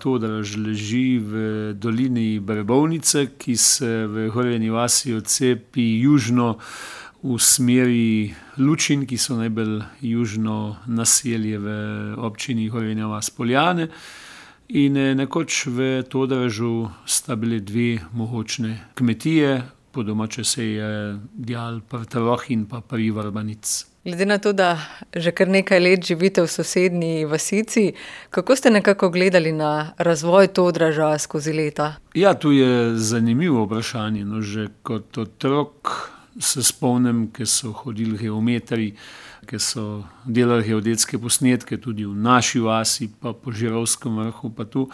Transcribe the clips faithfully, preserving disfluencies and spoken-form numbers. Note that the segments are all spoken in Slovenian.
Todraž leži v dolini Brebovnice, ki se v Horjeni vasi odcepi južno v smeri Lučin, ki so najbolj južno naselje v občini Horjena vas - Poljane. In nekoč v Todražu sta bile dve mogočne kmetije, po domače se je dejalo pri Troh in pa pri Vrbanic. Glede na to, da že kar nekaj let živite v sosednji vasici, kako ste nekako gledali na razvoj Todraža skozi leta? Ja, to je zanimivo vprašanje. No, že kot otrok se spomnim, ko so hodili geometri, ko so delali geodetske posnetke tudi v naši vasi, pa po Žirovskem vrhu, pa tu.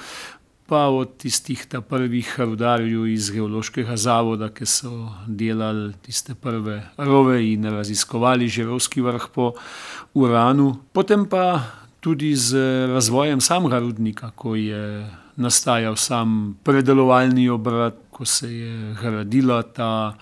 Pa od tistih ta prvih rudarjev iz geološkega zavoda, ki so delali tiste prve rove in raziskovali Žirovski vrh po uranu. Potem pa tudi z razvojem samega rudnika, ko je nastajal sam predelovalni obrat, ko se je gradila ta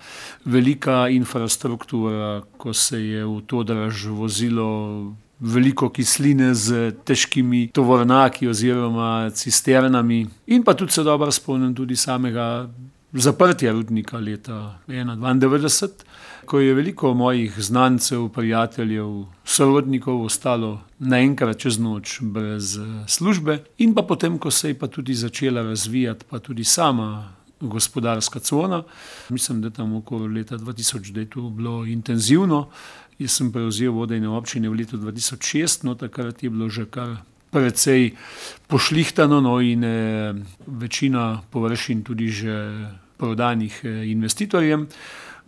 velika infrastruktura, ko se je v Todraž vozilo veliko kisline z težkimi tovornjaki oziroma cisternami. In pa tudi se dobro spomnim tudi samega zaprtja rudnika leta dvaindevetdeset, ko je veliko mojih znancev, prijateljev, sorodnikov ostalo naenkrat čez noč brez službe. In pa potem, ko se je pa tudi začela razvijati pa tudi sama gospodarska cona, mislim, da tam okoli leta dva tisoč, da je to bilo intenzivno. Jaz sem prevzel vodenje občine v letu dva tisoč šest, no takrat je bilo že kar precej pošlihtano, no in eh, večina površin tudi že prodanih eh, investitorjem.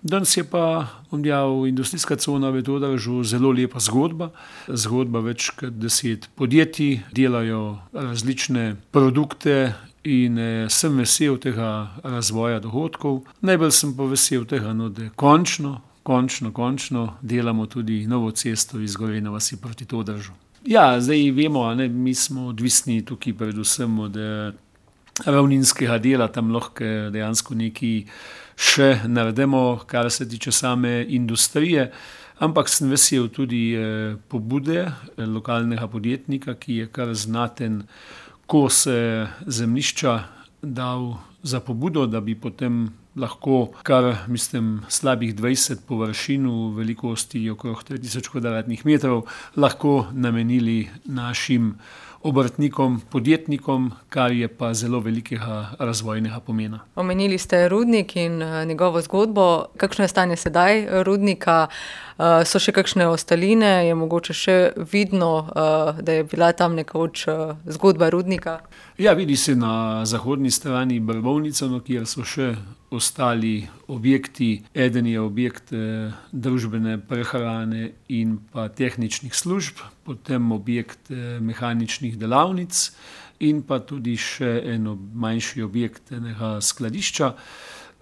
Danes je pa, bom dejal, industrijska cona v Todražu zelo lepa zgodba. Zgodba več kot deset podjetij, delajo različne produkte in eh, sem vesel tega razvoja dohodkov. Najbolj sem pa vesel tega, no, da končno, končno, končno delamo tudi novo cesto iz Gorenje vasi proti Todražu. Ja, zdaj vemo, ne, mi smo odvisni tukaj predvsem od eh, ravninskega dela, tam lahko dejansko nekaj še naredimo, kar se tiče same industrije, ampak sem vesel tudi eh, pobude eh, lokalnega podjetnika, ki je kar znaten kos eh, zemljišča dal za pobudo, da bi potem lahko kar, mislim, slabih dvajset površin v velikosti okrog tri tisoč kvadratnih metrov lahko namenili našim obrtnikom, podjetnikom, kar je pa zelo velikega razvojnega pomena. Omenili ste rudnik in njegovo zgodbo. Kakšno je stanje sedaj rudnika? So še kakšne ostaline? Je mogoče še vidno, da je bila tam nekoč zgodba rudnika? Ja, vidi se na zahodni strani Brbovnice, no, kjer so še ostali objekti. Eden je objekt eh, družbene prehrane in pa tehničnih služb, potem objekt eh, mehaničnih delavnic in pa tudi še en manjši objekt enega skladišča.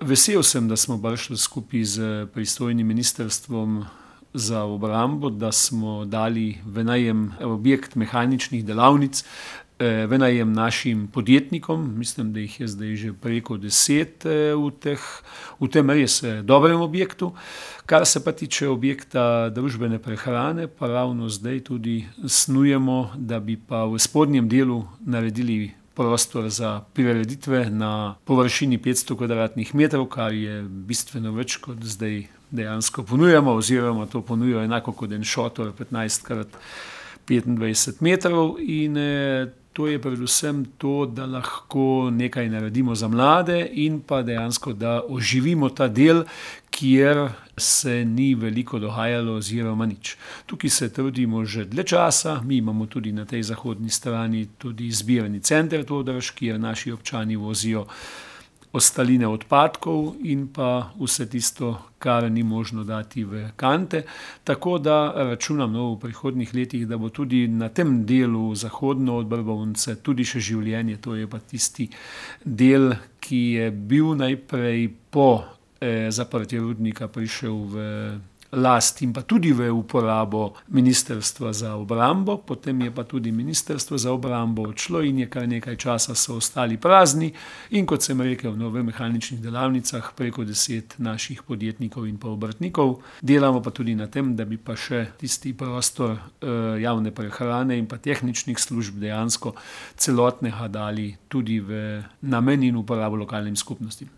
Vesel sem, da smo prišli skupaj z pristojnim ministrstvom za obrambo, da smo dali v najem objekt mehaničnih delavnic, v najem našim podjetnikom. Mislim, da jih je zdaj že preko deset v, teh, v tem res dobrem objektu. Kar se pa tiče objekta družbene prehrane, pa ravno zdaj tudi snujemo, da bi pa v spodnjem delu naredili prostor za prireditve na površini petsto kvadratnih metrov, kar je bistveno več, kot zdaj dejansko ponujamo, oziroma to ponujajo enako kot en šotor petnajst krat petindvajset metrov. In to je predvsem to, da lahko nekaj naredimo za mlade in pa dejansko, da oživimo ta del, kjer se ni veliko dogajalo oziroma nič. Tukaj se trudimo že dlje časa, mi imamo tudi na tej zahodni strani tudi zbirni center Todraž, kjer naši občani vozijo ostaline odpadkov in pa vse tisto, kar ni možno dati v kante. Tako da računam no, v prihodnjih letih, da bo tudi na tem delu zahodno od Brbovnice tudi še življenje. To je pa tisti del, ki je bil najprej po eh, zaprtju rudnika prišel v last in pa tudi v uporabo Ministrstva za obrambo, potem je pa tudi Ministrstvo za obrambo odšlo in je kar nekaj časa so ostali prazni in kot sem rekel, no, v mehaničnih delavnicah preko deset naših podjetnikov in pa obrtnikov. Delamo pa tudi na tem, da bi pa še tisti prostor eh, javne prehrane in pa tehničnih služb dejansko celotnega dali tudi v namen in uporabo lokalnim skupnostim.